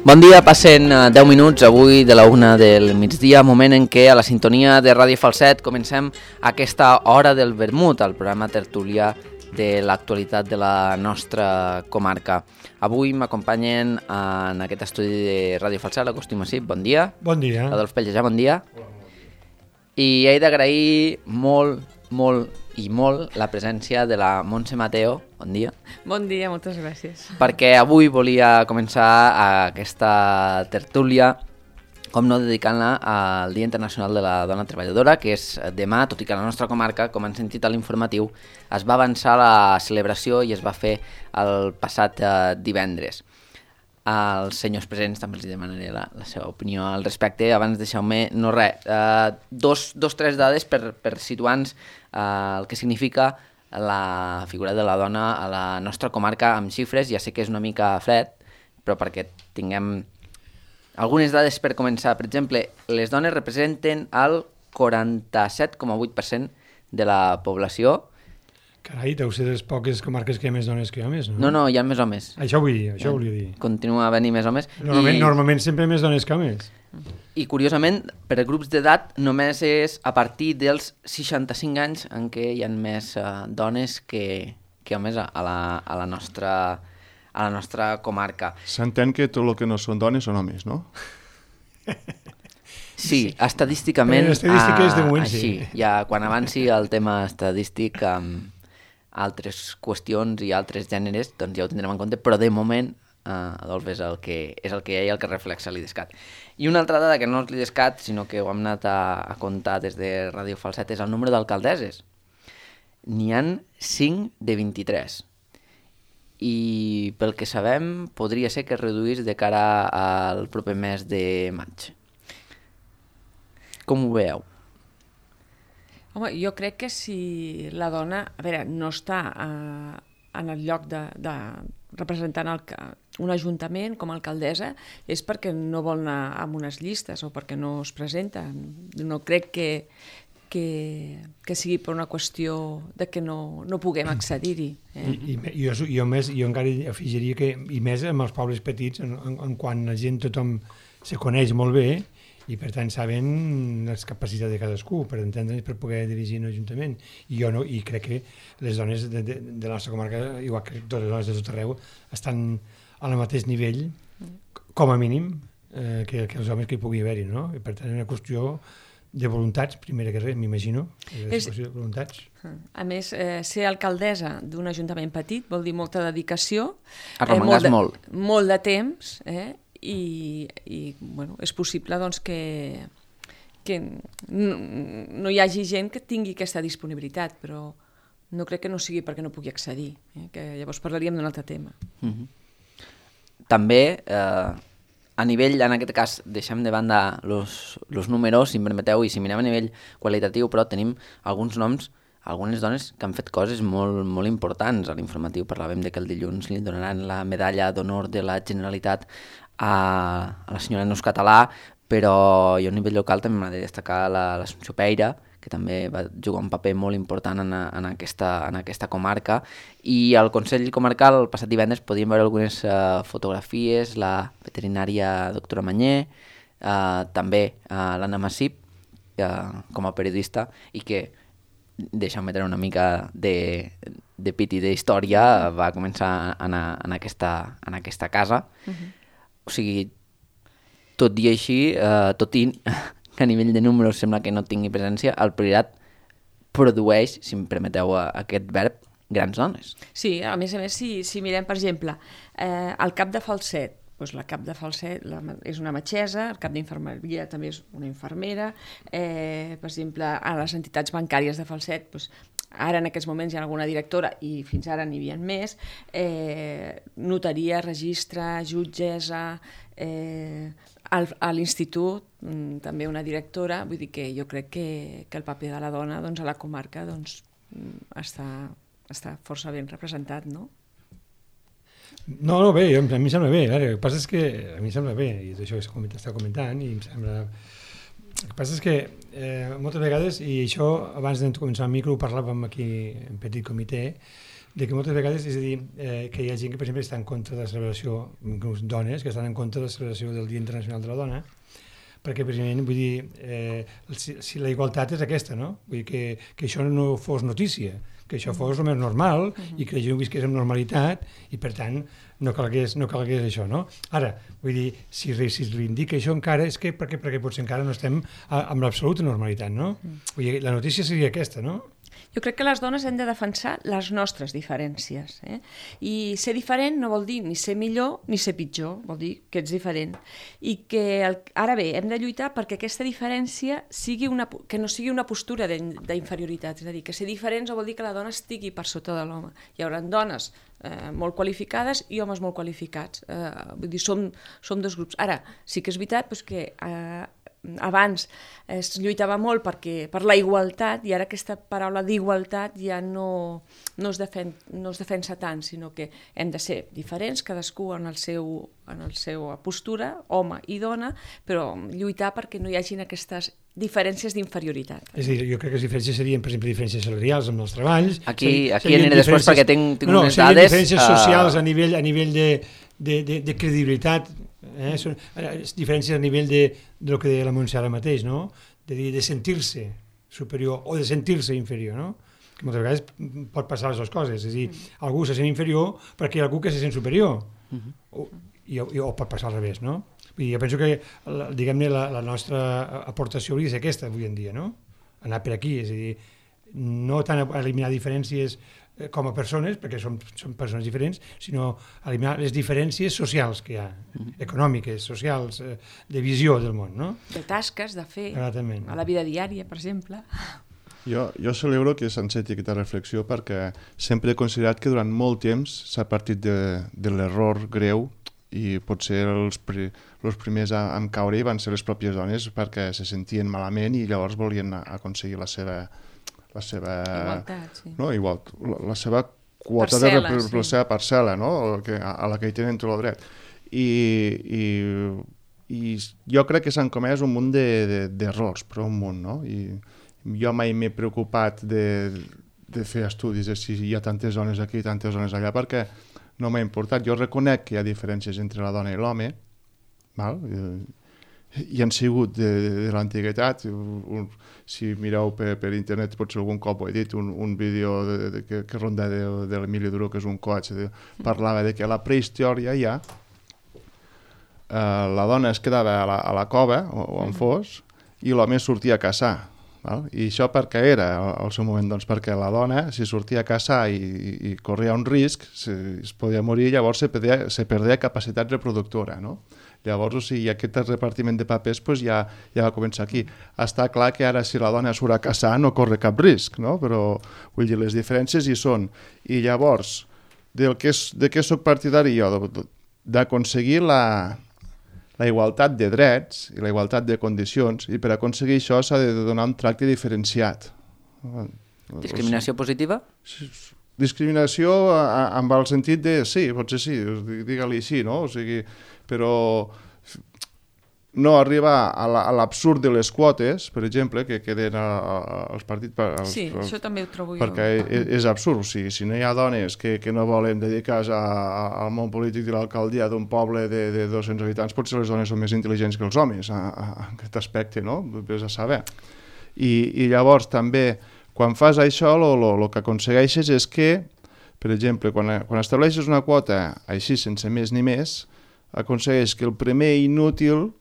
Bon dia, passen 10 minuts avui de la 1 del migdia, moment en què a la sintonia de Ràdio Falset comencem aquesta hora del vermut, el programa tertulià de l'actualitat de la nostra comarca. Avui m'acompanyen en aquest estudi de Ràdio Falset l'Agustí Massip, bon dia. Bon dia. Adolf Pellejà, bon dia. I he d'agrair molt la presència de la Montse Mateo, bon dia. Bon dia, moltes gràcies. Perquè avui volia començar aquesta tertúlia, com no, dedicant-la al Dia Internacional de la Dona Treballadora, que és demà, tot i que a la nostra comarca, com han sentit a l'informatiu, es va avançar la celebració i es va fer el passat divendres. Als senyors presents també els demanaré la seva opinió al respecte. Abans deixeu-me, no res, tres dades per situar-nos el que significa la figura de la dona a la nostra comarca amb xifres. Ja sé que és una mica fred, però perquè tinguem algunes dades per començar. Per exemple, les dones representen el 47,8% de la població. Carai, deu ser de les poques comarques que hi ha més dones que homes, no? No, hi ha més homes. Això volia dir. Continua havent-hi més homes. Normalment sempre més dones que homes. I curiosament, per grups d'edat, només és a partir dels 65 anys en què hi ha més dones que homes a la nostra comarca. S'entén que tot el que no són dones són homes, no? Sí, estadísticament l'estadística és de moment, així. sí. Ja, quan avanci el tema estadístic, altres qüestions i altres gèneres, doncs ja ho tindrem en compte, però de moment Adolf és el que hi ha i el que reflexa l'IDESCAT. I una altra dada que no és l'IDESCAT, sinó que ho hem anat a comptar des de Ràdio Falset, és el número d'alcaldesses. N'hi han 5 de 23. I pel que sabem, podria ser que es reduís de cara al proper mes de maig. Com ho veieu? Home, jo crec que si la dona, a veure, no està en el lloc de representant un ajuntament com a alcaldessa, és perquè no vol anar amb unes llistes o perquè no es presenta. No crec que sigui per una qüestió de que no puguem accedir-hi. Jo encara afegiria que, i més amb els pobles petits, en quan la gent tothom se coneix molt bé, i per tant saben les capacitats de cadascú per entendre's, per poder dirigir un ajuntament. I crec que les dones de la nostra comarca, igual que totes les dones de tot arreu, estan al mateix nivell, com a mínim, que els homes que hi pugui haver-hi, no? I per tant és una qüestió de voluntats, primera que res, m'imagino, és qüestió de voluntats. A més, ser alcaldessa d'un ajuntament petit vol dir molta dedicació, Arremangar molt. Molt de temps, i bueno, és possible doncs, que no hi hagi gent que tingui aquesta disponibilitat, però no crec que no sigui perquè no pugui accedir, que llavors parlaríem d'un altre tema. També, a nivell, en aquest cas, deixem de banda els números, si em permeteu, i si mirem a nivell qualitatiu, però tenim alguns noms, algunes dones que han fet coses molt, molt importants. A l'informatiu parlàvem que el dilluns li donaran la medalla d'honor de la Generalitat a la senyora Neus Català, però jo a nivell local també m'ha de destacar l'Assumpció Peira, que també va jugar un paper molt important en aquesta comarca, i al Consell Comarcal el passat divendres podíem veure algunes fotografies, la veterinària doctora Manyer, també l'Anna Massip com a periodista, i que, deixa'm metre una mica de pit i d'història, va començar a anar en aquesta casa. O sigui, tot i així, tot i que a nivell de números sembla que no tingui presència, el Priorat produeix, si em permeteu aquest verb, grans dones. Sí, a més, si mirem, per exemple, el cap de Falset, doncs la cap de Falset és una metgessa, el cap d'infermeria també és una infermera, per exemple, a les entitats bancàries de Falset, doncs, ara en aquests moments hi ha alguna directora i fins ara n'hi havia més, notaria, registre, jutgessa, a l'institut també una directora, vull dir que jo crec que el paper de la dona a la comarca està força ben representat, no? No, bé, a mi em sembla bé, el que passa és que a mi em sembla bé, i això que està comentant, i em sembla... El que passa és que moltes vegades, i això abans de començar el micro ho parlàvem aquí en petit comitè, de que moltes vegades, és a dir, que hi ha gent que, per exemple, està en contra de la celebració, dones que estan en contra de la celebració del Dia Internacional de la Dona, perquè, precisament, vull dir, si la igualtat és aquesta, no? Vull dir que això no fos notícia, que això fos el més normal i que la gent ho visqués amb normalitat i, per tant, no calgués això, no? Ara, vull dir, si es reivindica això encara és que perquè potser encara no estem amb l'absoluta normalitat, no? Vull dir, la notícia seria aquesta, no? Jo crec que les dones hem de defensar les nostres diferències. I ser diferent no vol dir ni ser millor ni ser pitjor, vol dir que ets diferent. I que, ara bé, hem de lluitar perquè aquesta diferència que no sigui una postura d'inferioritat. És a dir, que ser diferents vol dir que la dona estigui per sota de l'home. Hi haurà dones molt qualificades i homes molt qualificats. Vull dir, som dos grups. Ara, sí que és veritat que abans es lluitava molt per la igualtat i ara aquesta paraula d'igualtat ja no es defensa tant, sinó que hem de ser diferents, cadascú en la seva postura, home i dona, però lluitar perquè no hi hagin aquestes diferències d'inferioritat. És a dir, jo crec que les diferències serien, per exemple, diferències salarials amb els treballs. Aquí aniré després perquè tinc unes dades. Diferències socials a nivell de credibilitat, diferències a nivell del que deia la Montse ara mateix, no? De sentir-se superior o de sentir-se inferior, no? Que moltes vegades pot passar les dues coses, és a dir, algú se sent inferior perquè hi ha algú que se sent superior, o pot passar al revés, no? I jo penso que, diguem-ne, la nostra aportació hauria de ser aquesta avui en dia, no? Anar per aquí, és a dir, no tant eliminar diferències com a persones, perquè són persones diferents, sinó eliminar les diferències socials que hi ha, econòmiques, socials, de visió del món, no? De tasques, de fer, Exactament. A la vida diària, per exemple. Jo celebro que s'enceti aquesta reflexió perquè sempre he considerat que durant molt temps s'ha partit de l'error greu i potser els primers a caure van ser les pròpies dones perquè se sentien malament i llavors volien aconseguir la seva igualtat, sí. No, la seva quota parcel·la, la seva parcel·la, no? A la que hi tenen tot el dret. I jo crec que s'han comès un munt d'errors, però un munt, no? I jo mai m'he preocupat de fer estudis de si hi ha tantes dones aquí i tantes dones allà, perquè no m'ha importat. Jo reconec que hi ha diferències entre la dona i l'home, i han sigut de l'antiguitat. Si mireu per internet, potser algun cop ho he dit, un vídeo que ronda de l'Emili Duró, que és un coach, parlava de que a la prehistòria ja la dona es quedava a la cova, o on fos, i l'home sortia a caçar. I això per què era al seu moment? Doncs perquè la dona, si sortia a caçar i corria un risc, es podia morir, llavors se perdia capacitat reproductora, no? Llavors, o sigui, aquest repartiment de papers ja va començar aquí. Està clar que ara si la dona surt a caçar no corre cap risc, no? Però, vull dir, les diferències hi són. I llavors, de què soc partidari jo? D'aconseguir la igualtat de drets i la igualtat de condicions, i per aconseguir això s'ha de donar un tracte diferenciat. Discriminació positiva? Discriminació amb el sentit de sí, potser sí, digue-li sí, no? O sigui, però no arribar a l'absurd de les quotes, per exemple, que queden als partits... Sí, això també ho trobo jo. Perquè és absurd, o sigui, si no hi ha dones que no volen dedicar-se al món polític de l'alcaldia d'un poble de 200 habitants, potser les dones són més intel·ligents que els homes, en aquest aspecte, no? Vés a saber. I llavors també, quan fas això, el que aconsegueixes és que, per exemple, quan estableixes una quota així, sense més ni més, aconsegueix que el primer inútil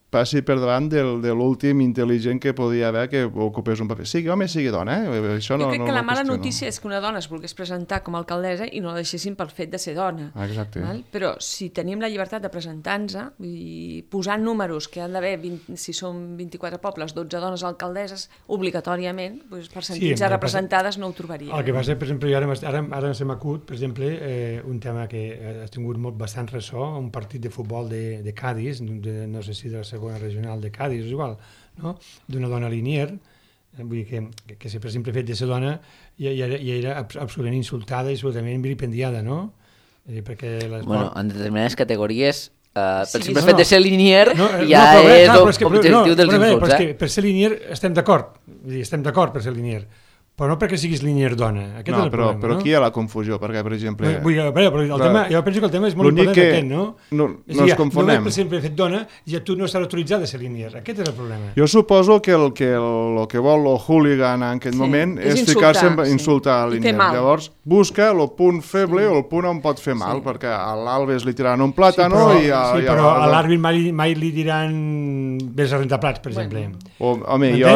passi per davant de l'últim intel·ligent que podia haver que ocupés un paper. Sigui home, sigui dona, Això jo crec que la mala notícia és que una dona es volgués presentar com a alcaldessa i no la deixessin pel fet de ser dona. Exacte. Però si tenim la llibertat de presentar-nos i posar números que han d'haver, si són 24 pobles, 12 dones alcaldesses, obligatòriament, per sentir-se representades no ho trobaria. El que passa, per exemple, ara se m'acut, per exemple, un tema que ha tingut bastant ressò, un partit de futbol de Cádiz, no sé si de la segona regional de Cádiz, és igual, no? D'una dona linier, vull dir que per exemple fet de ser dona ja era absolutament insultada i absolutament vilipendiada, no? Perquè bueno, en determinades categories per simple fet de ser linier ja és objectiu dels insults. Per ser linier estem d'acord per ser linier, però no perquè siguis línies dona. Aquest és el problema, però aquí hi ha la confusió, perquè, per exemple... Jo penso que el tema és molt important aquest, no? No ens confonem. Només per sempre fet dona, ja tu no estàs autoritzat a ser línies. Aquest és el problema. Jo suposo que el que vol el hooligan en aquest moment és ficar-se a insultar a línies. Llavors, busca el punt feble o el punt on pot fer mal, perquè a l'Alves li tiraran un plàtano i... Sí, però a l'àrbit mai li diran vés a rentar plats, per exemple. Home, jo...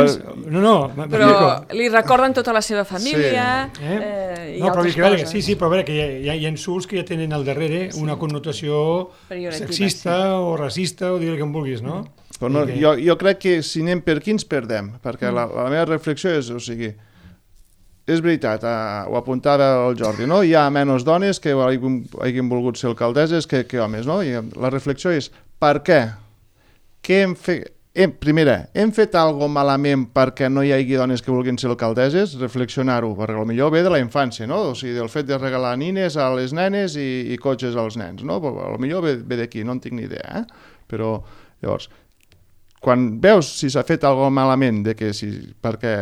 Però li recorden tota la seva família i altres coses. Sí, però a veure, que hi ha insults que ja tenen al darrere una connotació sexista o racista o dir-li que em vulguis, no? Però jo crec que si anem per aquí ens perdem, perquè la meva reflexió és, o sigui, és veritat, ho apuntava el Jordi, no? Hi ha menys dones que hagin volgut ser alcaldesses que homes, no? I la reflexió és, per què? Què hem fet? Primera, hem fet alguna malament perquè no hi hagi dones que vulguin ser alcaldesses? Reflexionar-ho, perquè potser ve de la infància, no? O sigui, del fet de regalar nines a les nenes i cotxes als nens, no? Potser ve d'aquí, no en tinc ni idea, Però, llavors, quan veus si s'ha fet alguna malament de que perquè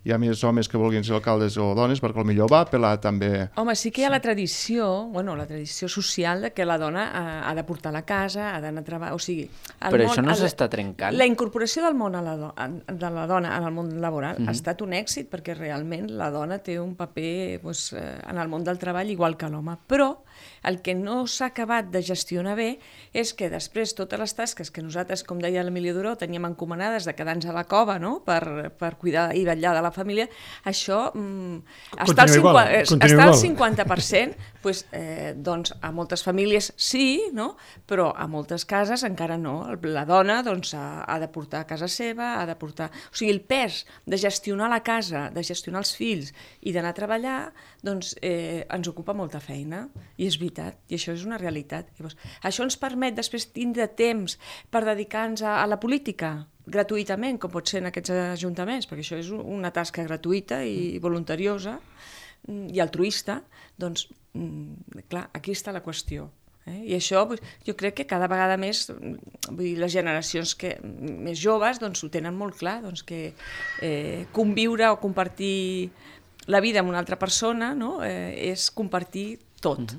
hi ha més homes que vulguin ser alcaldes o dones, perquè potser va apel·lar també... Home, sí que hi ha la tradició social de que la dona ha de portar la casa, ha d'anar a treballar... O sigui, però això no s'està trencant? La incorporació del món de la dona en el món laboral ha estat un èxit, perquè realment la dona té un paper en el món del treball igual que l'home, però el que no s'ha acabat de gestionar bé és que després totes les tasques que nosaltres, com deia l'Emili Duró, teníem encomanades de quedar-nos a la cova, no?, per cuidar i vetllar de la família, això està al 50%, doncs a moltes famílies sí, no?, però a moltes cases encara no. La dona doncs, ha de portar a casa seva, ha de portar... O sigui, el pes de gestionar la casa, de gestionar els fills i d'anar a treballar, doncs ens ocupa molta feina, i és veritat, i això és una realitat. Llavors, això ens permet després tindre temps per dedicar-nos a la política gratuïtament, com pot ser en aquests ajuntaments, perquè això és una tasca gratuïta i voluntariosa i altruista, doncs, clar, aquí està la qüestió. I això jo crec que cada vegada més, les generacions més joves ho tenen molt clar, que conviure o compartir la vida amb una altra persona és compartir tot.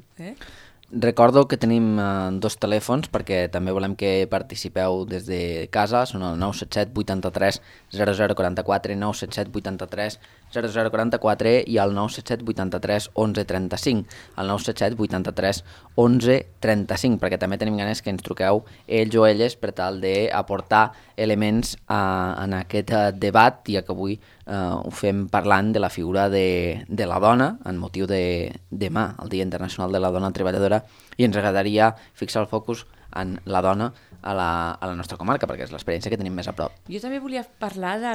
Recordo que tenim dos telèfons perquè també volem que participeu des de casa, són el 977 83 0044, 977 83 0044 i el 977 83 11 35, el 977 83 11 35, perquè també tenim ganes que ens truqueu ells o elles per tal d'aportar elements en aquest debat, ja que avui ho fem parlant de la figura de la dona en motiu de demà, el Dia Internacional de la Dona Treballadora, i ens agradaria fixar el focus en la dona a la nostra comarca, perquè és l'experiència que tenim més a prop. Jo també volia parlar de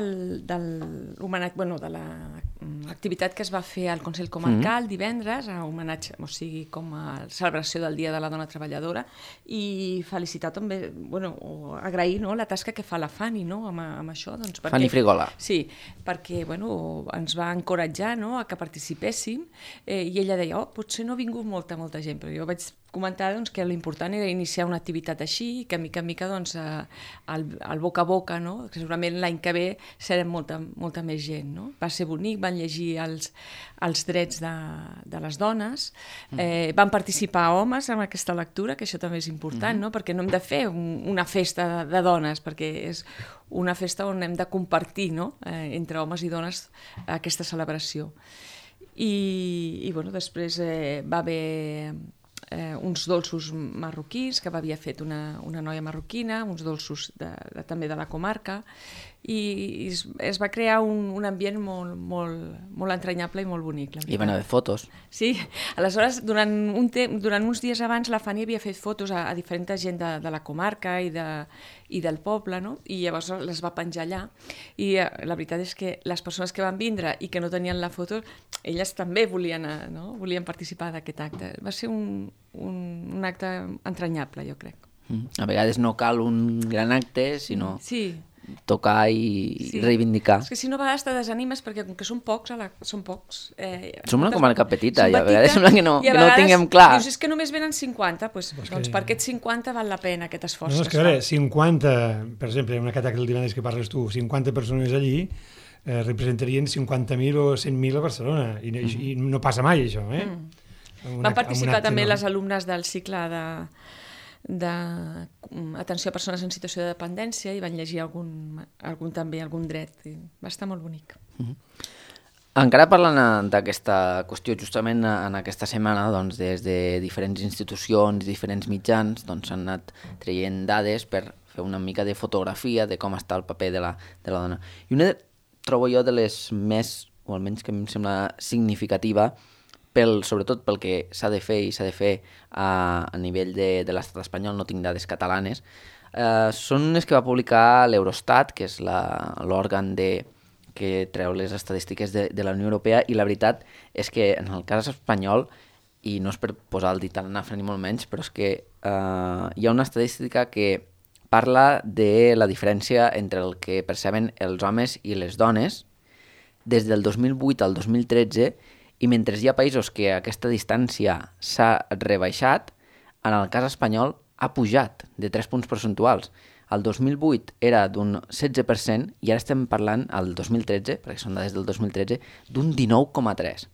l'activitat que es va fer al Consell Comarcal divendres, a homenatge, o sigui, com a celebració del Dia de la Dona Treballadora, i felicitar també, o agrair la tasca que fa la Fanny amb això. Fanny Frigola. Sí, perquè ens va encoratjar a que participéssim, i ella deia, potser no ha vingut molta gent, però jo vaig comentar que l'important era iniciar una activitat així, que mica en mica el boca a boca, que segurament l'any que ve serem molta més gent. Va ser bonic, van llegir els drets de les dones, van participar homes en aquesta lectura, que això també és important, perquè no hem de fer una festa de dones, perquè és una festa on hem de compartir entre homes i dones aquesta celebració. I després va haver uns dolços marroquins que havia fet una noia marroquina, uns dolços també de la comarca, i es va crear un ambient molt entranyable i molt bonic. I van haver fotos. Sí, aleshores durant uns dies abans la Fanny havia fet fotos a diferent gent de la comarca i del poble, i llavors les va penjar allà, i la veritat és que les persones que van vindre i que no tenien la foto, elles també volien participar d'aquest acte. Va ser un acte entranyable, jo crec. A vegades no cal un gran acte, sinó... Sí. Tocar i reivindicar. És que si no, a vegades te desanimes perquè com que són pocs. Som una comarca petita i a vegades sembla que no tinguem clar. Dius, és que només venen 50, doncs per aquests 50 val la pena aquest esforç. No, és que a veure, 50, per exemple, en aquest acte del divendres que parles tu, 50 persones allí, representarien 50.000 o 100.000 a Barcelona, i no passa mai això, Van participar també les alumnes del cicle d'atenció a persones en situació de dependència i van llegir algun dret. Va estar molt bonic. Encara parlant d'aquesta qüestió, justament en aquesta setmana, doncs, des de diferents institucions, diferents mitjans, doncs, s'han anat traient dades per fer una mica de fotografia de com està el paper de la dona. I una, trobo jo, de les més, o almenys que a mi em sembla significativa, sobretot pel que s'ha de fer i s'ha de fer a nivell de l'estat espanyol, no tinc dades catalanes, són les que va publicar l'Eurostat, que és l'òrgan que treu les estadístiques de la Unió Europea, i la veritat és que en el cas espanyol, i no és per posar el dit a la nafra ni molt menys, però és que hi ha una estadística que parla de la diferència entre el que perceben els homes i les dones des del 2008 al 2013, i mentre hi ha països que aquesta distància s'ha rebaixat, en el cas espanyol ha pujat de 3 punts percentuals. El 2008 era d'un 16% i ara estem parlant, el 2013, perquè són dades del 2013, d'un 19,3%.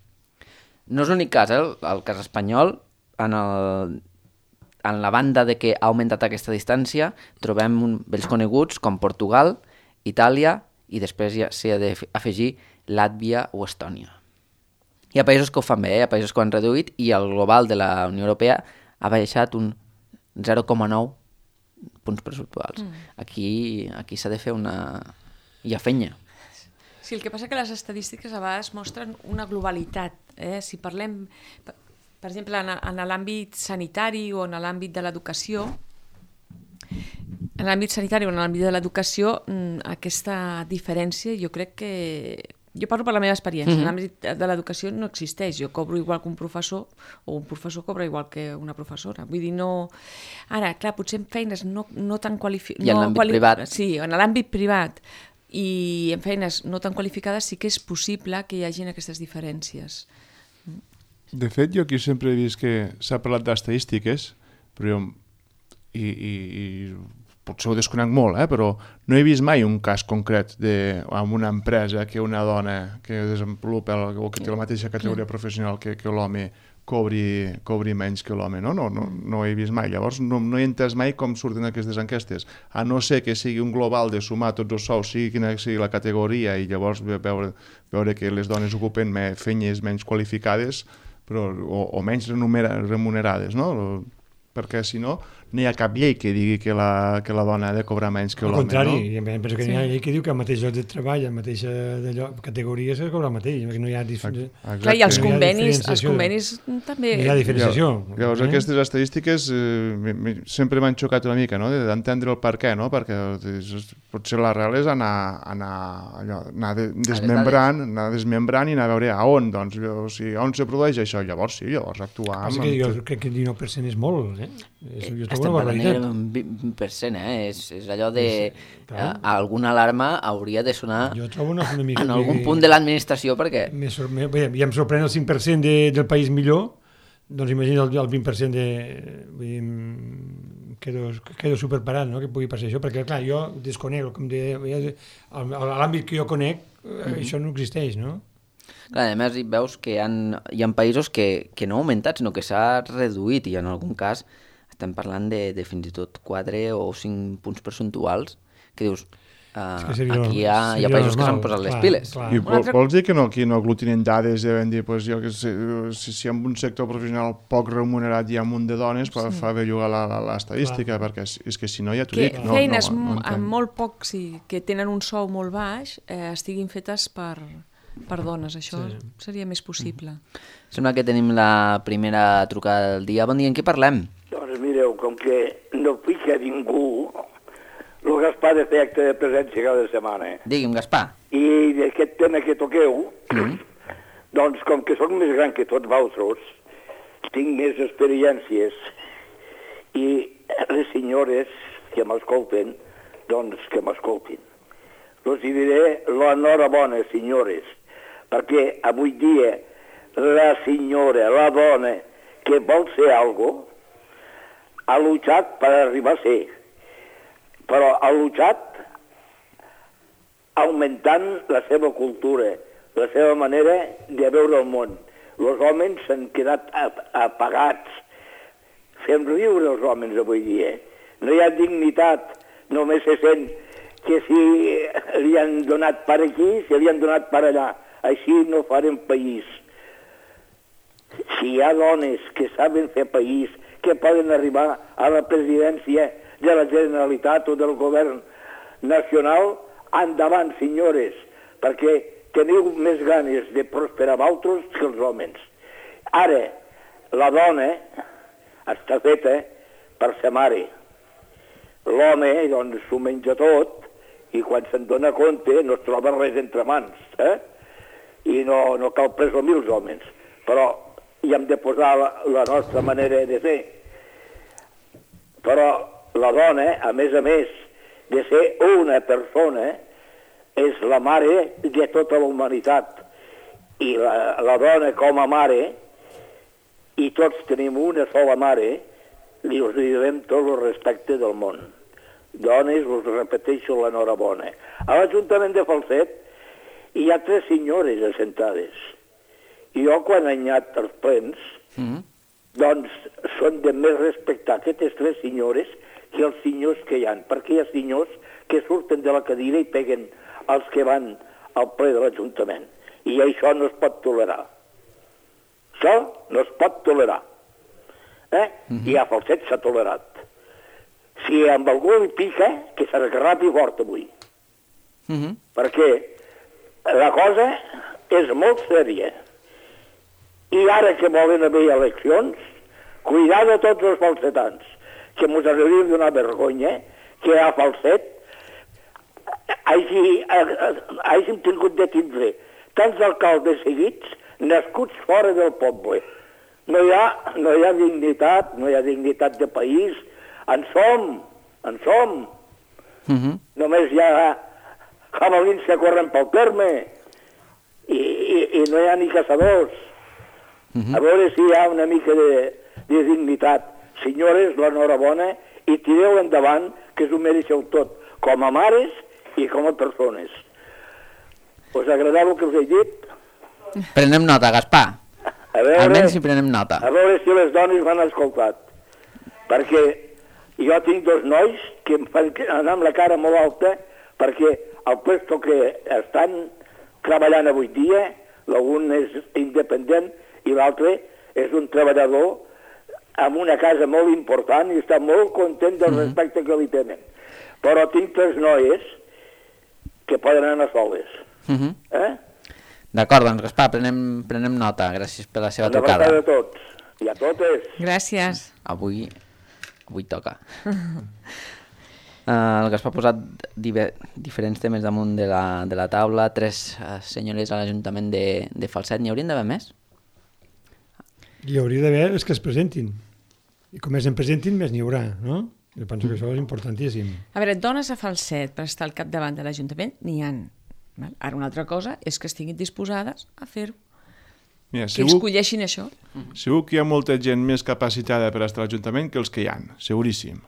No és l'únic cas, el cas espanyol, en la banda de que ha augmentat aquesta distància, trobem vells coneguts com Portugal, Itàlia, i després ja s'hi ha d'afegir Làtvia o Estònia. Hi ha països que ho fan bé, hi ha països que ho han reduït, i el global de la Unió Europea ha baixat un 0,9 punts percentuals. Aquí s'ha de fer hi ha fenya. Sí, el que passa que les estadístiques a vegades mostren una globalitat. Si parlem, per exemple, en l'àmbit sanitari o en l'àmbit de l'educació, aquesta diferència jo crec que... Jo parlo per la meva experiència, en l'àmbit de l'educació no existeix, jo cobro igual que un professor, o un professor cobra igual que una professora, vull dir, no... Ara, clar, potser en feines no tan qualificades... I en l'àmbit privat. Sí, en l'àmbit privat, i en feines no tan qualificades sí que és possible que hi hagin aquestes diferències. De fet, jo aquí sempre he vist que s'ha parlat d'estadístiques, però i potser ho desconec molt, però no he vist mai un cas concret en una empresa que una dona que desenvolupa o que té la mateixa categoria professional que l'home cobri menys que l'home, no ho he vist mai. Llavors no he entès mai com surten aquestes enquestes, a no ser que sigui un global de sumar tots els sous, sigui quina sigui la categoria, i llavors veure que les dones ocupen feines menys qualificades o menys remunerades, no? Perquè si no hi ha cap llei que digui que la dona ha de cobrar menys que l'home. Al contrari, penso que hi ha llei que diu que al mateix lloc de treball, a la mateixa categoria s'ha de cobrar el mateix, perquè no hi ha Clar, i els convenis també... No hi ha diferenciació. Llavors aquestes estadístiques sempre m'han xocat una mica, d'entendre el per què, perquè potser l'arrel és anar desmembrant i anar a veure on se produeix això. Llavors actuar... Jo crec que el 19% és molt, Estem parlant d'un 20%, és allò de... alguna alarma hauria de sonar en algun punt de l'administració, perquè... Ja em sorprèn el 5% del país millor, doncs imagina el 20% quedo superparat, que pugui passar això, perquè clar, jo desconec, a l'àmbit que jo conec, això no existeix, no? Clar, a més veus que hi ha països que no ha augmentat, sinó que s'ha reduït, i en algun cas estem parlant de fins i tot 4 o 5 punts percentuals, que dius, aquí hi ha països que s'han posat les piles. I vols dir que aquí no aglutinen dades i vam dir, si en un sector professional poc remunerat hi ha un munt de dones, fa bé jugar l'estadística, perquè és que si no ja t'ho dic. Feines amb molt poc, que tenen un sou molt baix, estiguin fetes per dones, això seria més possible. Sembla que tenim la primera trucada del dia. Bon dia, en què parlem? Doncs mireu, com que no pica ningú, el Gaspar de fer acte de presència cada setmana. Digui'm, Gaspar. I d'aquest tema que toqueu, doncs com que sóc més gran que tots vosaltres, tinc més experiències, i les senyores que m'escolten, doncs que m'escoltin. Els diré l'enhorabona, senyores, perquè avui dia la senyora, la dona que vol ser alguna cosa, ha luchat per arribar a ser, però ha luchat augmentant la seva cultura, la seva manera de veure el món. Els homes s'han quedat apagats. Fem riure els homes avui dia. No hi ha dignitat, només se sent que si li han donat per aquí, si li han donat per allà. Així no farem país. Si hi ha dones que saben fer país, que poden arribar a la presidència de la Generalitat o del govern nacional, endavant, senyores, perquè teniu més ganes de prosperar vosaltres que els homes. Ara, la dona està feta per ser mare. L'home, doncs, s'ho menja tot i quan se'n dona compte no es troba res entre mans, I no cal presumir els homes, però hi hem de posar la nostra manera de fer. Però la dona, a més, de ser una persona, és la mare de tota la humanitat. I la dona com a mare, i tots tenim una sola mare, li us direm tot el respecte del món. Dones, us repeteixo l'enhorabona. A l'Ajuntament de Falset hi ha 3 senyores assentades. I jo, quan he anat als plens, doncs són de més respectar aquestes 3 senyores que els senyors que hi ha, perquè hi ha senyors que surten de la cadira i peguen els que van al ple de l'Ajuntament. I això no es pot tolerar. Això no es pot tolerar. I a Falset s'ha tolerat. Si amb algú li pica, que s'esgarrapi fort avui. Perquè la cosa és molt sèria. I ara que volen haver eleccions, cuidar de tots els falsetans, que mos hauria de donar vergonya que a Falset hàgim tingut de tindre tants alcaldes seguits nascuts fora del poble. No hi ha dignitat, no hi ha dignitat de país. En som. Només hi ha jabalins que corren pel terme i no hi ha ni caçadors. A veure si hi ha una mica de dignitat. Senyores, l'enhorabona, i tireu endavant, que s'ho mereixeu tot, com a mares i com a persones. Us agradava el que us he dit? Prenem nota, Gaspar. Almenys si prenem nota. A veure si les dones m'han escoltat. Perquè jo tinc 2 nois que em fan anar amb la cara molt alta perquè el puesto que estan treballant avui dia, l'un és independent i l'altre és un treballador amb una casa molt important i està molt content del respecte que li tenen. Però tinc 3 noies que poden anar soles. D'acord, doncs Gaspar, prenem nota. Gràcies per la seva trucada. Una abraçada a tots i a totes. Gràcies. Avui toca. El Gaspar ha posat diferents temes damunt de la taula, 3 senyores a l'Ajuntament de Falset. N'hi haurien d'haver més? Hi hauria d'haver els que es presentin. I com més en presentin, més n'hi haurà, no? Jo penso que això és importantíssim. A veure, dones a Falset per estar al capdavant de l'Ajuntament n'hi ha. Ara una altra cosa és que estiguin disposades a fer-ho. Mira, que escolleixin això. Segur que hi ha molta gent més capacitada per estar a l'Ajuntament que els que hi ha, seguríssim.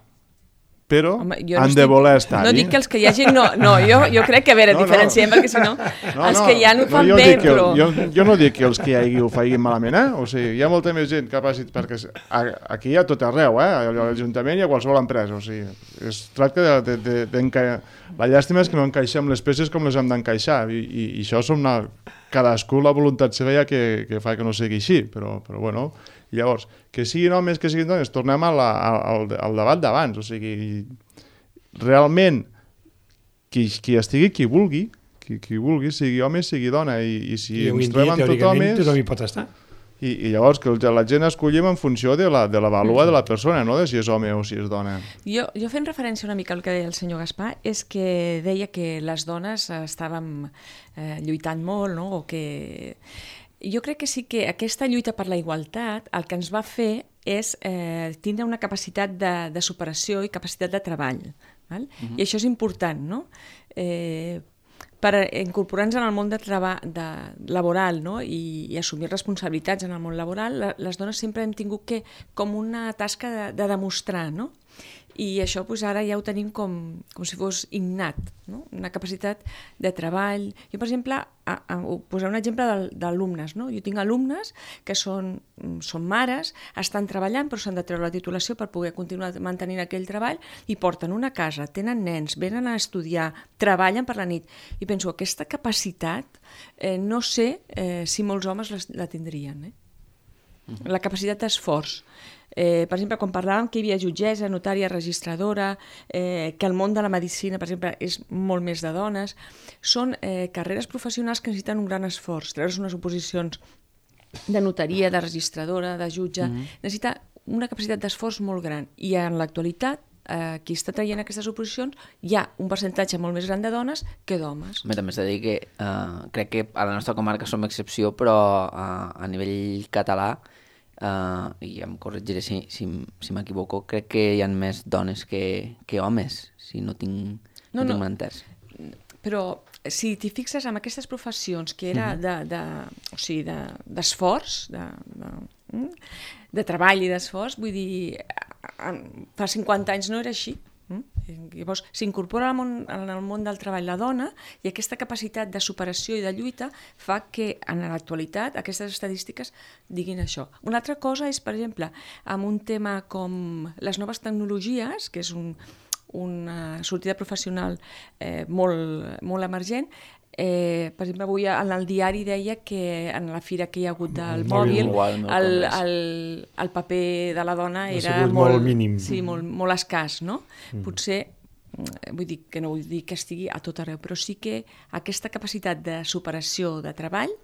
Però han de voler estar-hi. No dic que els que hi hagi... No, jo crec que, a veure, diferenciem, perquè si no, els que hi ha ho fan bé, però... Jo no dic que els que hi hagi ho facin malament, O sigui, hi ha molta més gent capacitat, perquè aquí hi ha tot arreu, A l'Ajuntament i a qualsevol empresa, o sigui, es tracta la llàstima és que no encaixem les peces com les hem d'encaixar, i això som cadascú la voluntat seva que fa que no sigui així, però bueno... Llavors, que siguin homes, que siguin dones, tornem al debat d'abans, o sigui, realment, qui estigui, qui vulgui, sigui home, sigui dona, i si ens trobem tot homes... Tothom hi pot estar. I llavors que la gent escollim en funció de la vàlua de la persona, no de si és home o si és dona. Jo fent referència una mica al que deia el senyor Gaspar, és que deia que les dones estàvem lluitant molt, no? O que... Jo crec que sí que aquesta lluita per la igualtat el que ens va fer és tindre una capacitat de superació i capacitat de treball. Val? I això és important, no? Per incorporar-nos en el món laboral, no? I assumir responsabilitats en el món laboral, les dones sempre hem tingut com una tasca de demostrar, no? I això ara ja ho tenim com si fos innat, no? Una capacitat de treball. Jo, per exemple, posaré un exemple d'alumnes, no? Jo tinc alumnes que són mares, estan treballant però s'han de treure la titulació per poder continuar mantenint aquell treball i porten una casa, tenen nens, venen a estudiar, treballen per la nit. I penso, aquesta capacitat no sé si molts homes la tindrien, la capacitat d'esforç. Per exemple, quan parlàvem que hi havia jutgessa, notària, registradora, que el món de la medicina, per exemple, és molt més de dones, són carreres professionals que necessiten un gran esforç. Treure's unes oposicions de notaria, de registradora, de jutge, necessita una capacitat d'esforç molt gran. I en l'actualitat, qui està traient aquestes oposicions, hi ha un percentatge molt més gran de dones que d'homes. També s'ha de dir que crec que a la nostra comarca som excepció, però a nivell català, i em corregiré si m'equivoco, crec que hi ha més dones que homes, si no tinc mal entès. Però si t'hi fixes en aquestes professions que era d'esforç, de treball i d'esforç, vull dir, fa 50 anys no era així. Llavors s'incorpora en el món del treball la dona i aquesta capacitat de superació i de lluita fa que en l'actualitat aquestes estadístiques diguin això. Una altra cosa és, per exemple, amb un tema com les noves tecnologies, que és una sortida professional molt emergent. Per exemple, avui en el diari deia que en la fira que hi ha hagut del mòbil el paper de la dona era molt mínim. Sí, molt escàs, no? Potser, vull dir que no vull dir que estigui a tot arreu, però sí que aquesta capacitat de superació de treball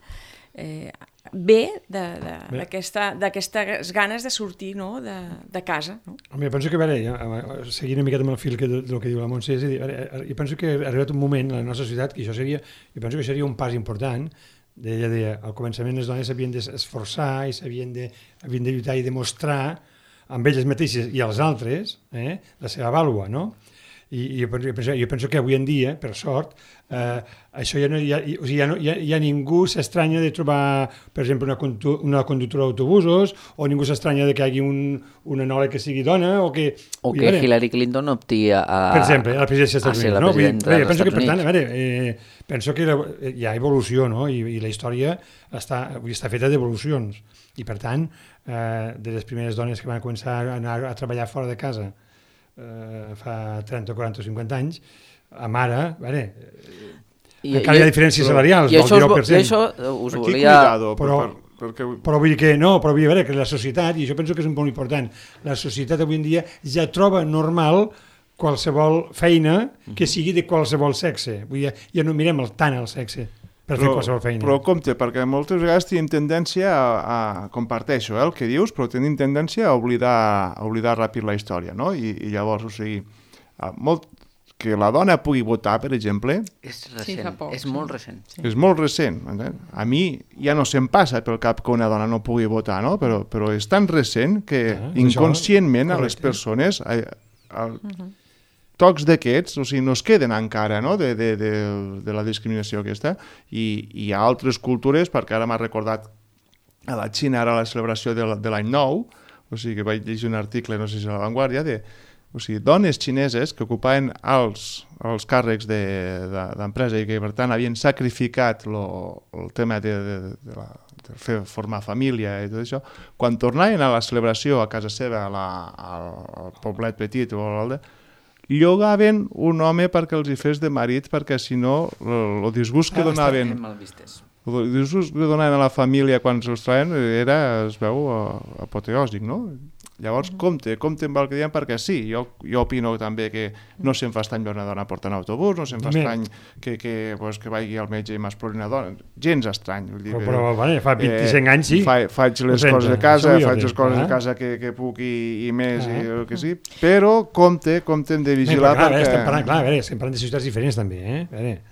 ve d'aquestes ganes de sortir de casa. Home, jo penso que, seguint una miqueta amb el fil del que diu la Montse, jo penso que ha arribat un moment a la nostra societat que jo penso que seria un pas important. Ella deia, al començament les dones s'havien d'esforçar i s'havien de lluitar i demostrar amb elles mateixes i als altres la seva vàlua, no? I jo penso que avui en dia, per sort, això ja ningú s'estranya de trobar, per exemple, una conductora d'autobusos, o ningú s'estranya de que hi hagi una noia que sigui dona, o que Hillary Clinton opti a... Per exemple, a la presidència dels Estats Units. la presidenta dels Estats Units. Per tant, penso que hi ha evolució, no? I la història està feta d'evolucions. I, per tant, de les primeres dones que van començar a anar a treballar fora de casa fa 30, 40 o 50 anys, amb ara, encara hi ha diferències salarials del 19%. I això us volia... Però vull dir que no, però vull dir que la societat, i això penso que és un punt important, la societat avui en dia ja troba normal qualsevol feina que sigui de qualsevol sexe. Vull dir, ja no mirem tant el sexe per fer qualsevol feina. Però compte, perquè moltes vegades tenim tendència a comparteixo el que dius, però tenim tendència a oblidar ràpid la història, no? I llavors, o sigui, que la dona pugui votar, per exemple... És recent, és molt recent. És molt recent. A mi ja no se'm passa pel cap que una dona no pugui votar, no? Però és tan recent que inconscientment a les persones... tocs d'aquests, o sigui, no es queden encara, no?, de la discriminació aquesta, i hi ha altres cultures, perquè ara m'ha recordat a la Xina, ara la celebració de l'any nou, o sigui, que vaig llegir un article, no sé si a La Vanguardia, o sigui, dones xineses que ocupaven els càrrecs d'empresa i que, per tant, havien sacrificat el tema de formar família i tot això, quan tornaven a la celebració a casa seva, al poblet petit o a l'altre, llogaven un home perquè els hi fes de marit, perquè si no el disgust que donaven a la família quan se'ls traien es veu apoteòsic, no? Llavors, compte amb el que diem, perquè sí, jo opino també que no se'm fa estrany veure una dona portant autobús, no se'm fa estrany que vagi al metge i m'explori una dona, gens estrany. Però fa 25 anys sí. Faig les coses de casa, que puc i més, i el que sí, però compte hem de vigilar perquè... Estem parlant de societats diferents també,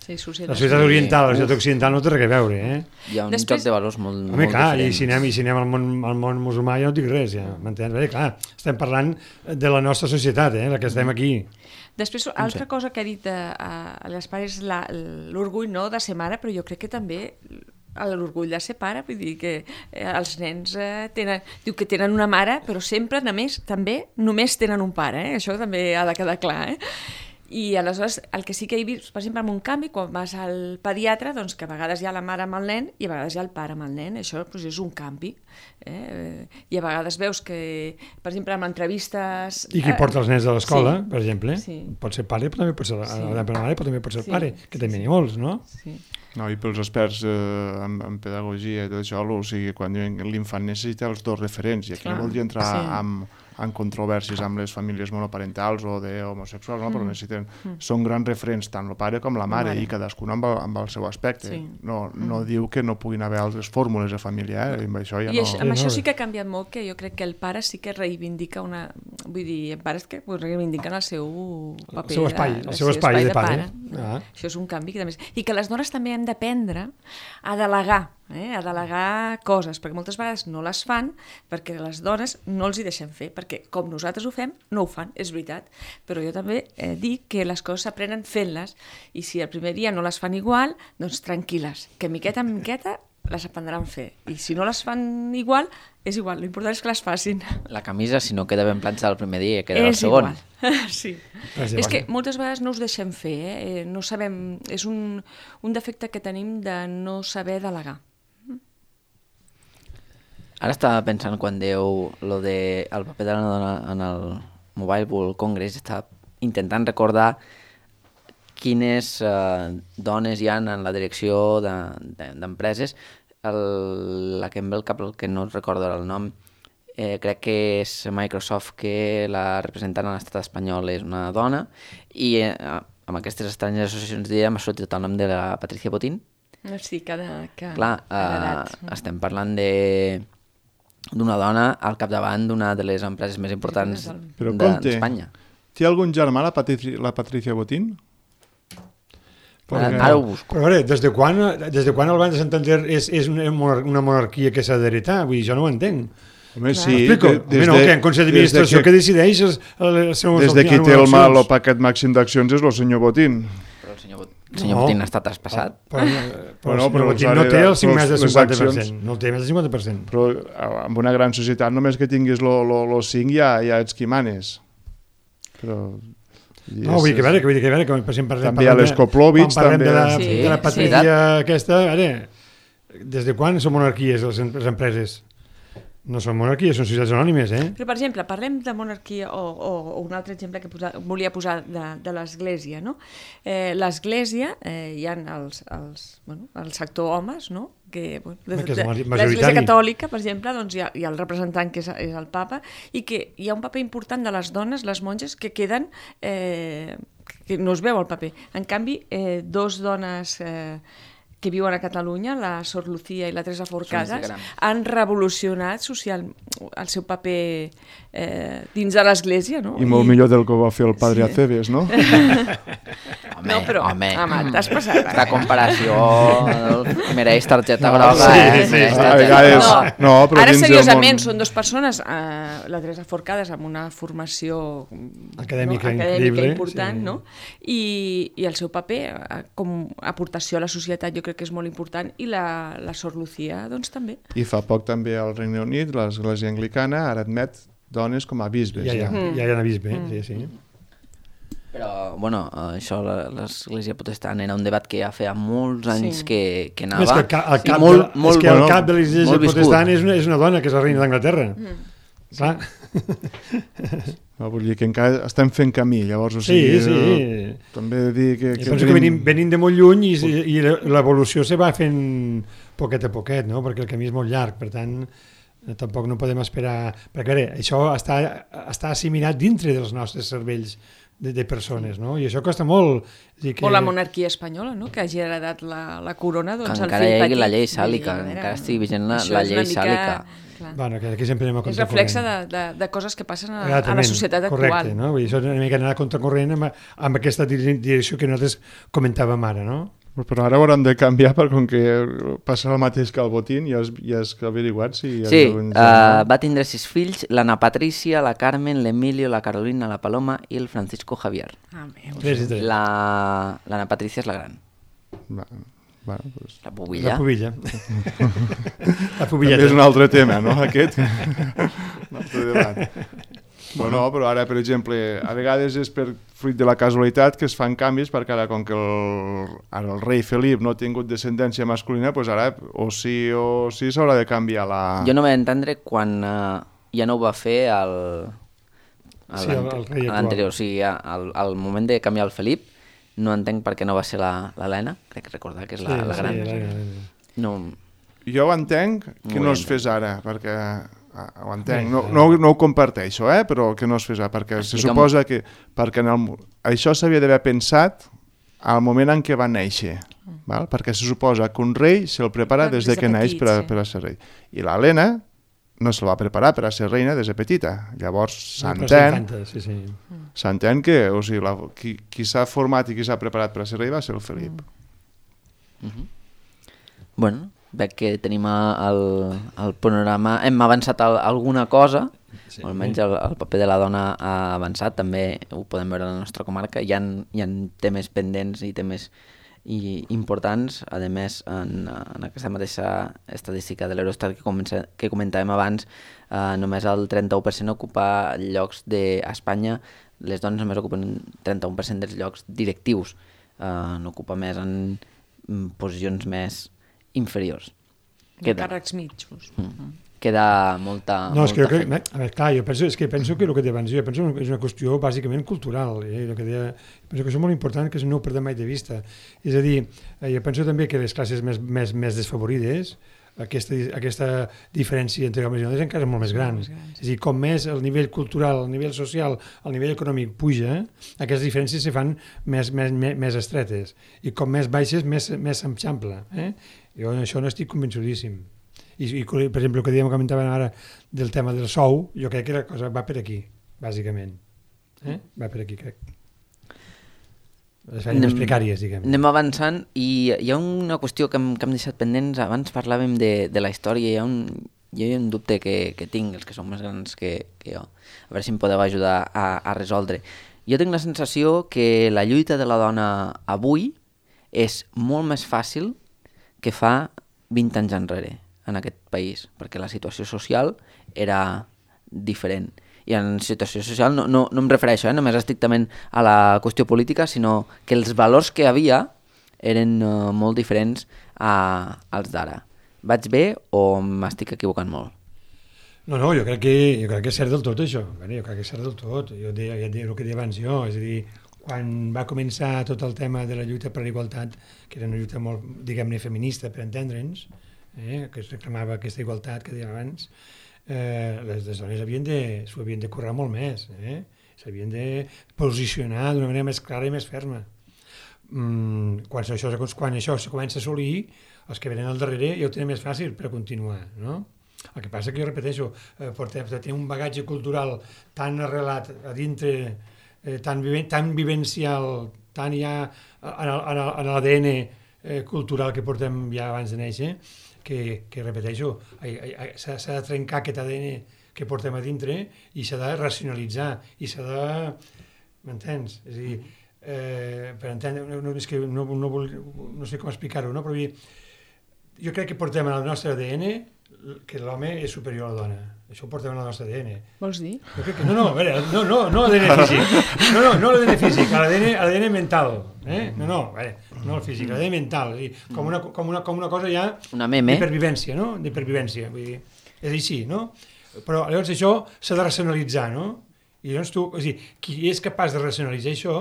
Sí, la societat oriental, la societat occidental no té res a veure, Hi ha un joc de valors molt diferent. Home, clar, i si anem al món musulmà ja no dic res, m'entens? Clar, estem parlant de la nostra societat, la que estem aquí. Després, altra cosa que ha dit a l'Espar és l'orgull de ser mare, però jo crec que també l'orgull de ser pare, vull dir que els nens diu que tenen una mare, però sempre, també, només tenen un pare, això també ha de quedar clar, I aleshores el que sí que he vist, per exemple, en un canvi, quan vas al pediatre, doncs que a vegades hi ha la mare amb el nen i a vegades hi ha el pare amb el nen, això doncs, és un canvi. I a vegades veus que, per exemple, en entrevistes... I qui porta els nens a l'escola, per exemple, pot ser pare, però també pot ser la mare, però també pot ser el pare, que també n'hi ha molts, no? Sí. No, i pels experts en pedagogia i tot això, o sigui, quan l'infant necessita els dos referents, i aquí no voldria entrar en controvèrsies amb les famílies monoparentals o d'homosexuals, no? Però necessiten... Són grans referents, tant el pare com la mare, i cadascun amb el seu aspecte. Sí. No diu que no puguin haver altres fórmules de família, i amb això ja no... I amb això sí que ha canviat molt, que jo crec que el pare sí que reivindica una... Vull dir, pares que reivindiquen el seu paper... El seu espai de pare. Això és un canvi que també... I que les dones també hem d'aprendre a delegar, a delegar coses, perquè moltes vegades no les fan perquè les dones no els hi deixen fer, perquè com nosaltres ho fem, no ho fan, és veritat, però jo també dic que les coses s'aprenen fent-les, i si el primer dia no les fan igual, doncs tranquil·les, que miqueta en miqueta les aprendran a fer, i si no les fan igual, és igual, l'important és que les facin. La camisa, si no queda ben planxada el primer dia, queda el segon. Sí. És que moltes vegades no us deixem fer, no sabem, és un defecte que tenim de no saber delegar. Ara estava pensant quan dieu el paper de la dona en el Mobile World Congress, estava intentant recordar quines dones hi ha en la direcció d'empreses. La que em ve al cap, el que no recordo el nom, crec que és Microsoft, que la representant a l'estat espanyol és una dona, i amb aquestes estranges associacions d'idea m'ha sortit el nom de la Patricia Botín. Sí, clar, estem parlant d'una dona al capdavant d'una de les empreses més importants d'Espanya. Té algun germà la Patricia Botín? Ara ho busco. Però a veure, des de quan el Banc de Santander és una monarquia que s'ha d'heretar? Vull dir, jo no ho entenc. Home, sí. Que en Consell d'Administració que decideix els seus... Des de qui té el paquet màxim d'accions és el senyor Botín. Però el senyor Botín ha estat traspassat. Però el senyor Botín no té el 5 més del 50%. No té més del 50%. Però en una gran societat només que tinguis el 5 ja ets qui manes. Però... No, vull dir que veure, per exemple, també a l'Escoplovich, també de la Patricia aquesta, des de quan són monarquies les empreses? No són monarquies, són societats anònimes, Però, per exemple, parlem de monarquia o un altre exemple que volia posar de l'Església, no? L'Església, hi ha el sector homes, no? Que l'Església Catòlica, per exemple, doncs hi ha el representant que és el papa, i que hi ha un paper important de les dones, les monges, que queden... que no es veu el paper. En canvi, dos dones... que viuen a Catalunya, la Sor Lucía i la Teresa Forcada, han revolucionat el seu paper dins de l'Església, no? I molt millor del que va fer el padre Aceves, no? Home, t'has passat. Aquesta comparació mereix targeta groga. Sí. A vegades... Ara, seriosament, són dues persones, la Teresa Forcada amb una formació acadèmica important, no? I el seu paper com a aportació a la societat jo crec que és molt important, i la Sor Lucía doncs també. I fa poc també al Regne Unit l'Església Anglicana ara admet dones com a bisbes. Ja hi ha bisbes, sí. Però, bueno, això, l'Església Protestant era un debat que ja feia molts anys que anava. És que el cap de l'Església Protestant és una dona, que és la reina d'Anglaterra. Clar. No, vull dir que encara estem fent camí, llavors, o sigui, sí. També he de dir que penso que venim de molt lluny i l'evolució se va fent poquet a poquet, no? Perquè el camí és molt llarg, per tant, tampoc no podem esperar... Perquè això està assimilat dintre dels nostres cervells de persones, no? I això costa molt. O la monarquia espanyola, no? Que hagi heredat la corona, doncs el encara hi hagi la llei sàlica, encara estigui vigent la llei sàlica. Bueno, que aquí sempre anem a contracorrent. És reflexe de coses que passen a la societat actual. Correcte, no? Vull dir, això és una mica anar a contracorrent amb aquesta direcció que nosaltres comentàvem ara, no? Però ara hauran de canviar, perquè com que passa el mateix que el Botín, ja has averiguat si... Sí, va tindre 6 fills, l'Anna Patricia, la Carmen, l'Emilio, la Carolina, la Paloma i el Francisco Javier. L'Anna Patricia és la gran. Bueno, doncs... La pubilla. La pubilla. La També pubilleta. és un altre tema, no, aquest? Un altre debat. Bueno, però ara, per exemple, a vegades és per fruit de la casualitat que es fan canvis, perquè ara, com que el rei Felip no ha tingut descendència masculina, doncs ara o sí s'haurà de canviar la... Jo no vaig entendre quan ja no ho va fer el Sí, el rei actual. l'anterior. O sigui, al moment de canviar el Felip, no entenc per què no va ser l'Helena, crec recordar que és la gran. l'Helena. No, Jo ho entenc que No no ho es fes ara, perquè ho entenc, Bé, no ho comparteixo, però que no es fes ara, perquè se Explica'm. suposa que perquè això s'havia d'haver pensat al moment en què va néixer, val? Perquè se suposa que un rei se'l prepara des de que neix petit, per a ser rei. I l'Helena no se la va preparar per a ser reina des de petita. Llavors s'entén que o sigui, qui s'ha format i qui s'ha preparat per a ser rei va ser el Felip. bueno, veig que tenim el panorama, hem avançat alguna cosa, o almenys el paper de la dona ha avançat, també ho podem veure a la nostra comarca, hi ha temes pendents i temes importants, a més en aquesta mateixa estadística de l'Eurostat que comentàvem abans, només el 31% ocupa llocs d'Espanya, les dones només ocupen 31% dels llocs directius, no ocupa més en posicions més inferiors. Càrrecs mitjos. Queda molta... No, és que jo feina. crec, a veure, clar, jo penso que el que deia abans, jo penso que és una qüestió bàsicament cultural, el que deia, penso que és molt important que no ho perdem mai de vista. És a dir, jo penso també que les classes més desfavorides, aquesta diferència entre homes i dones encara és molt més gran. És a dir, com més el nivell cultural, el nivell social, el nivell econòmic puja, aquestes diferències se fan més estretes. I com més baixes, més s'eixampla. Jo això no estic convençudíssim. I per exemple, el que comentàvem ara del tema del sou, jo crec que la cosa va per aquí, bàsicament. Va per aquí, crec. Les feines més precàries, diguem. Anem avançant i hi ha una qüestió que hem deixat pendents. Abans parlàvem de la història, hi ha un dubte que tinc, els que són més grans que jo. A veure si em podeu ajudar a resoldre. Jo tinc la sensació que la lluita de la dona avui és molt més fàcil que fa 20 anys enrere en aquest país, perquè la situació social era diferent. I en situació social no em refereixo només estrictament a la qüestió política, sinó que els valors que havia eren molt diferents als d'ara. Vaig bé o m'estic equivocant molt? No, jo crec que és cert del tot, això. Jo crec que és cert del tot. Jo deia el que deia abans jo, és a dir, quan va començar tot el tema de la lluita per la igualtat, que era una lluita molt, diguem-ne, feminista, per entendre'ns, que es reclamava aquesta igualtat que dèiem abans, les dones s'ho havien de currar molt més, s'havien de posicionar d'una manera més clara i més ferma. Quan això se comença a assolir, els que venen al darrere ja ho tenen més fàcil per continuar, no? El que passa que jo repeteixo, tenir un bagatge cultural tan arrelat a dintre, tan vivencial, tan ja en l'ADN cultural que portem ja abans de néixer, que repeteixo, s'ha de trencar aquest ADN que portem a dintre i s'ha de racionalitzar i s'ha de... M'entens? És a dir, per entendre, no sé com explicar-ho, no? Però jo crec que portem en el nostre ADN que l'home és superior a la dona. Això ho portem en el nostre ADN. Vols dir? Jo crec que, no, a veure, no l'ADN físic. No l'ADN físic, l'ADN mental. No el físic, l'ADN mental. És dir, com una cosa ja d'hipervivència, no? D'hipervivència. Vull dir, és així, no? Però llavors això s'ha de racionalitzar, no? I llavors qui és capaç de racionalitzar això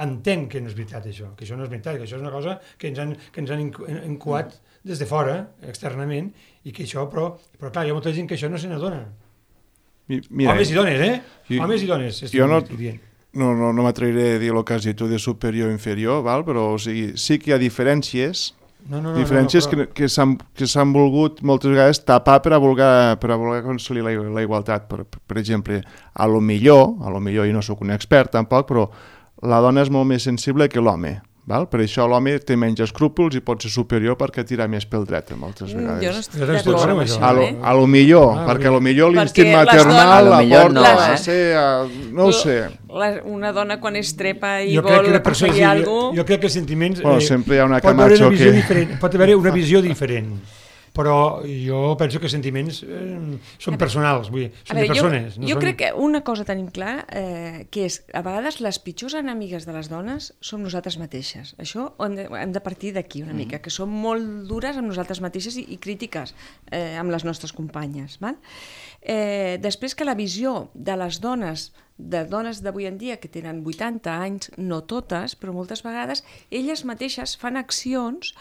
entén que no és veritat això, que això no és veritat, que això és una cosa que ens han incuat des de fora, externament, i que això, però clar, hi ha molta gent que això no se n'adona. Homes i dones, Homes i dones. Jo no m'atreviré a dir el que has dit tu de superior o inferior, val? Però o sigui, sí que hi ha diferències, que s'han volgut moltes vegades tapar per a voler aconseguir la igualtat. Per exemple, a lo millor, i no sóc un expert tampoc, però la dona és molt més sensible que l'home. val? Per això l'home té menys escrúpols i pot ser superior perquè tira més pel dret moltes vegades. Jo no estic Jo estic d'acord amb d'acord això, amb A lo millor, perquè a lo millor l'instint Perquè les maternal dones- la A lo millor porta no, a ser... No ho sé. Una dona quan es trepa i Jo crec vol que la persona, aconseguir alguna cosa... jo crec que els sentiments... Bueno, sempre hi ha una pot haver Camacho que... pot haver una visió diferent, però jo penso que els sentiments són personals, vull dir, són de persones. Jo crec que una cosa tenim clar, que és, a vegades les pitjors enemigues de les dones som nosaltres mateixes. Això hem de partir d'aquí una mica, que som molt dures amb nosaltres mateixes i crítiques amb les nostres companyes. Val? Després que la visió de les dones d'avui en dia que tenen 80 anys, no totes, però moltes vegades, elles mateixes fan accions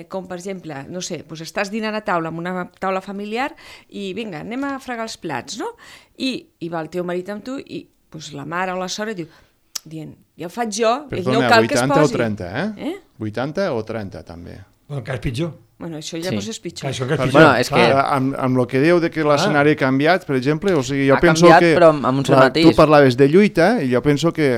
com, per exemple, no sé, doncs estàs dinant a taula, amb una taula familiar, i vinga, anem a fregar els plats, no? I va el teu marit amb tu i doncs, la mare o la sora dient, ja ho faig jo, ell no cal que es 80 posi. o 30, 80 o 30, també. El cas pitjor. Bueno, això ja no és pitjor. Això que és Perquè, pitjor. és que- amb el que diu de que l'escenari ha canviat, per exemple, o sigui, jo Ha penso canviat, que... però amb un cert matís. Tu parlaves de lluita, i jo penso que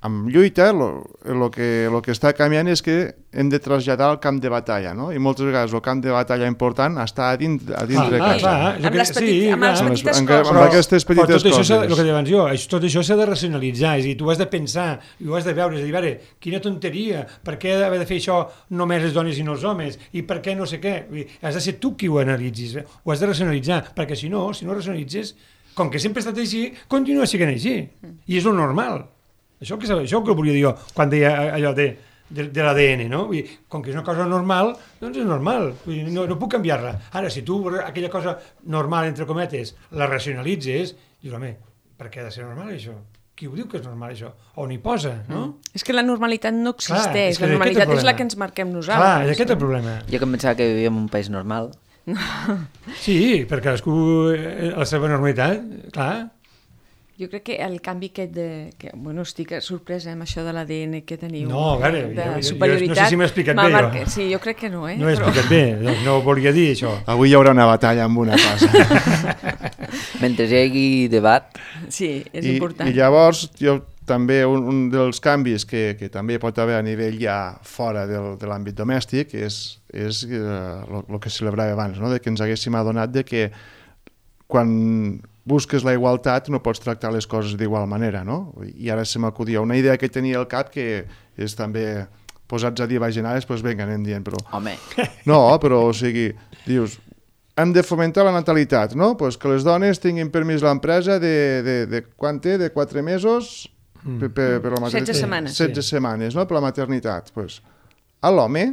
amb lluita el que està canviant és que hem de traslladar al camp de batalla, no? I moltes vegades el camp de batalla important està a dintre de casa. Amb les petites amb coses. aquestes petites coses. El que deia abans jo, tot això s'ha de racionalitzar, és a dir, tu has de pensar, i ho has de veure, és a dir, veure, quina tonteria, per què haver de fer això només les dones i no els homes, i per què no sé què, has de ser tu qui ho analitzis, ho has de racionalitzar, perquè si no racionalitzes, com que sempre ha estat així, continua sent així, i és el normal. Això que volia dir jo quan deia allò de l'ADN, no? Vull dir, com que és una cosa normal, doncs és normal, vull dir, no puc canviar-la. Ara, si tu aquella cosa normal, entre cometes, la racionalitzes, dius, home, per què ha de ser normal això? Qui ho diu que és normal això? On hi posa, no? És que la normalitat no existeix, Clar, la normalitat és la que ens marquem nosaltres. Clar, és aquest el problema. Jo que em pensava que vivíem en un país normal. Sí, per cadascú la seva normalitat, clar. Jo crec que el canvi aquest bueno, estic sorpresa amb això de l'ADN que teniu. No, a veure, de jo superioritat. no sé si m'he explicat bé, jo. Sí, jo crec que no, No he explicat bé, doncs no volia dir això. Avui hi haurà una batalla amb una cosa. Mentre hi hagi debat, Sí, és important. I llavors, jo també un dels canvis que també pot haver a nivell ja fora de l'àmbit domèstic és el que celebrava abans, no? De que ens haguéssim adonat de que quan busques la igualtat no pots tractar les coses d'igual manera, no? I ara se m'acudia una idea que tenia al cap que és també posats a dir bajanades, doncs vinga, anem dient, però... home, No, però, o sigui, dius, hem de fomentar la natalitat, no? Pues que les dones tinguin permís l'empresa de quant té? De 4 mesos per la maternitat. 16 setmanes. 16 setmanes, no? Per la maternitat. Pues, a l'home,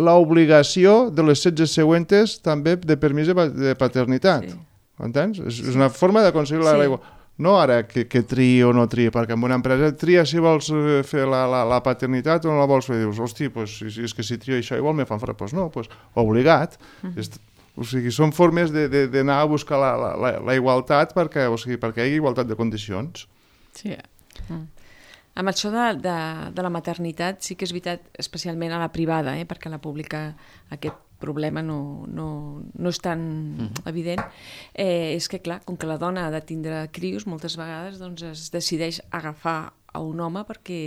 l'obligació de les 16 següentes també de permís de paternitat. Sí. Entens? És una forma d'aconseguir l'aigua. No ara que triï o no triï, perquè en una empresa tria si vols fer la paternitat o no la vols fer. Dius, hosti, pues, és que si trio això igual me fan fora. Pues no, pues, obligat. O sigui, són formes d'anar a buscar la igualtat perquè hi hagi igualtat de condicions. Sí. Amb això de la maternitat sí que és veritat, especialment a la privada, perquè a la pública aquest problema no és tan evident, és que clar, com que la dona ha de tindre crios, moltes vegades doncs, es decideix agafar a un home perquè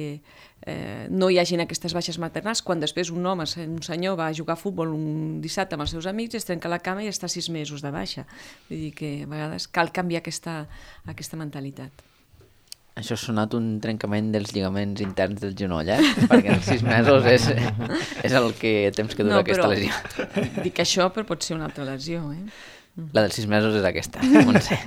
no hi hagin aquestes baixes maternals, quan després un home, un senyor, va a jugar a futbol un dissabte amb els seus amics, es trenca la cama i està 6 mesos de baixa. Vull dir que a vegades cal canviar aquesta mentalitat. això ha sonat un trencament dels lligaments interns del genoll, perquè els 6 mesos és el temps que dura aquesta lesió. Dic això, però pot ser una altra lesió, La dels 6 mesos és aquesta, Montse.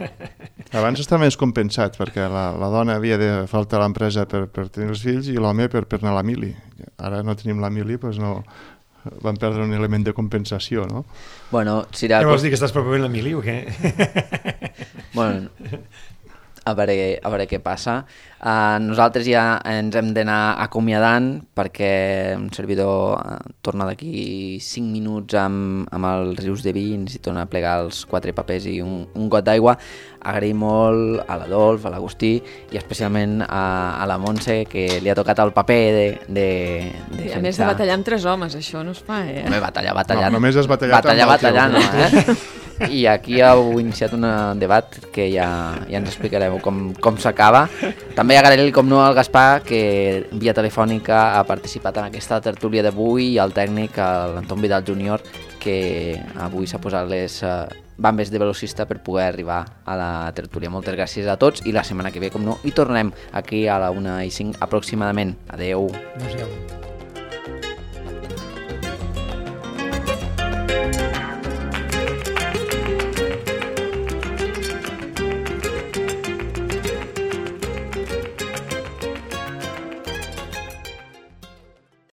Abans està més compensat, perquè la dona havia de faltar a l'empresa per tenir els fills i l'home per anar a la mili. Ara no tenim la mili, doncs no... Van perdre un element de compensació, no? Bueno, Què vols dir, que estàs promovent la mili o què? Bueno, a veure què passa. Nosaltres ja ens hem d'anar acomiadant perquè un servidor torna d'aquí 5 minuts amb els rius de vi i necessita anar a plegar els 4 papers i un got d'aigua. Agraïm molt a l'Adolf, a l'Agustí i especialment a la Montse, que li ha tocat el paper de a més de batallar amb 3 homes, això no es fa, Home, batallar. No, només has batallat batallar, amb el teu. no, I aquí heu iniciat un debat que ja ens explicareu com s'acaba. També agrair-li, com no, al Gaspar, que via telefònica ha participat en aquesta tertúlia d'avui, i al tècnic, l'Anton Vidal Júnior, que avui s'ha posat les bambes de velocista per poder arribar a la tertúlia. Moltes gràcies a tots i la setmana que ve, com no, hi tornem aquí a la 1:05 aproximadament. Adeu. Adéu.